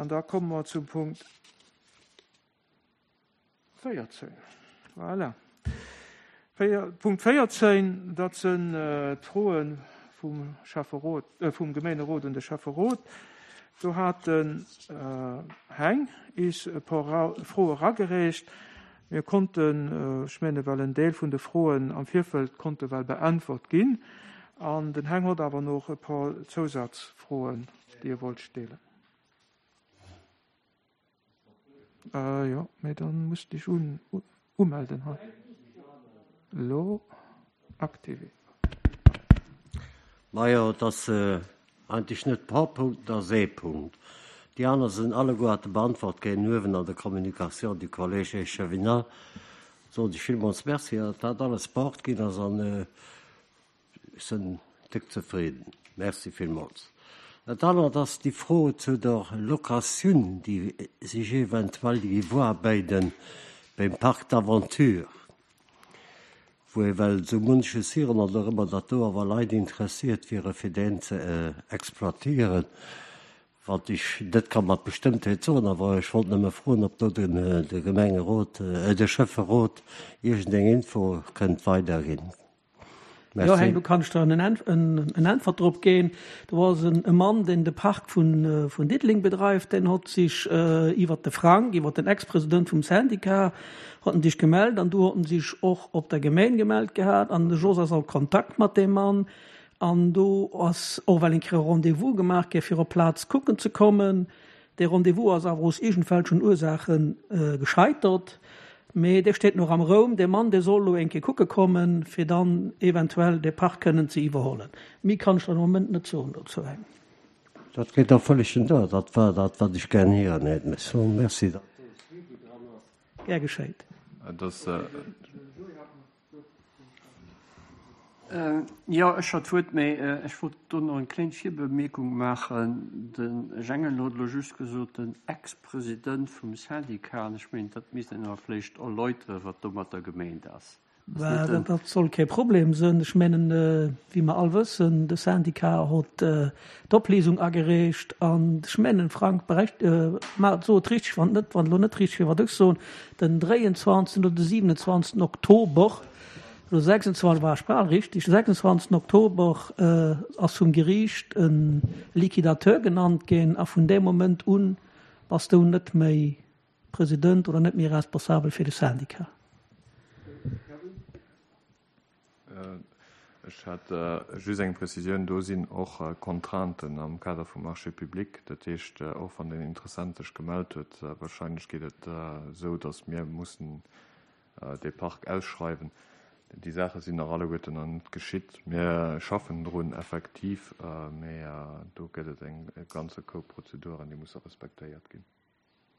An da komme mer zum Punkt 14. Voilà. Punkt 14, dat sinn d'Froe vum Schäfferot, vum Gemeenerot un de Schäfferot. Do hat den Heng is e por Froe eragereecht. Mir konnten, ech menge well en Deel vun de Froen am Virfeld konnte well beäntwert ginn. An den Heng hott awer noch e por Zousazfroen, déi e wollt stellen. Jo, mee dann muss dech un umelden hei. Lo activé. Majo, et ass eigentlech net par Punkt, et ass ee Punkt. Déi aner sinn alleguerte beantwort ginn uewen an der Communication du Collège échevinal. Soen ech villmools Merci, datt dat alles beort ginn ass an Ech sinn déck zefridden. Merci villmools. Dat anert ass déi Fro zu der Locatioun, déi sech eventuell géif uabéiden beim Parc d'aventure, wou ewell esou munches hiren an och ëmmer datt do awer Leit interessiert wiere fir deen ze exploitieren, wat ech net ka mat Bestëmmtheet soen. Awer ech wollt nëmme froen, ob do de Gemengerot, de Schäfferot iergendeng Info kënnt weiderginn. Jo, Heng, do kann ech der en Äntwert drop ginn. Do ass e Mann, deen de Park vun Diddeleng bedreift, deen hott sich iwwert de Frank, iwwert den Ex-President vum Syndicat, hott en sich gemellt an du hott en sich och op der Gemeng gemellt gehat an de Jos ass a Kontakt mat deem Mann an do ass och well eng Kéier e Rendez-vous gemaach gi fir op d'Plaz kucken ze kommen. Dee Rendez-vous ass awer aus iergendwelchen Ursaache gescheitert. Mee dee steet nach am Raum. Dee Mann, dee soll elo eng Kéier kucke kommen, fir dann eventuell dee Park kënnen ze iwwerhollen. Méi kann ech der de Moment net soen dozou. Dat geet och vëllegen duer. Dat war dat, wat ech gären héieren hätt. Merci, datt do e Suivi dran ass. Gär geschéit. Jo, ech hat d'Wuert, mä ech wollt do nach eng kléng Virbemierkung maachen. De Jengel huet elo just gesot, den Ex-President vum Syndicat, an ech mengen, dat misst een awer vläicht erläuteren, wat domatter gemeent ass. Dat soll kee Problem sinn. Ech mengen, wéi mer all wëssen, de Syndicat hott d'Opléisung agereecht an ech mengen, Frank, berecht, ma so et richteg, wann et net, wann et elo net richteg wier, wat ech soen, den 23. oder de 27. Oktober, oder 26, war ech bal richteg, de 26. Oktober ass vum Geriicht e Liquidateur genannt ginn a vun deem Moment un bass du net méi President oder net méi responsabel fir de Syndicat. Ech hätt just eng Prezisioun, Do sinn och Contrainten am Kader vum Marché public. Dat heescht, och wann den Interessent sech gemellt huet, wahrscheinlech geet et esou, datt mir mussen dee Park ausschreiwen. Déi Saache sinn nach alleguerten nach net geschitt. Mir schaffen drun, effektiv, mä do gëtt et e ganze Koup Prozeduren, déi musse respektéiert ginn.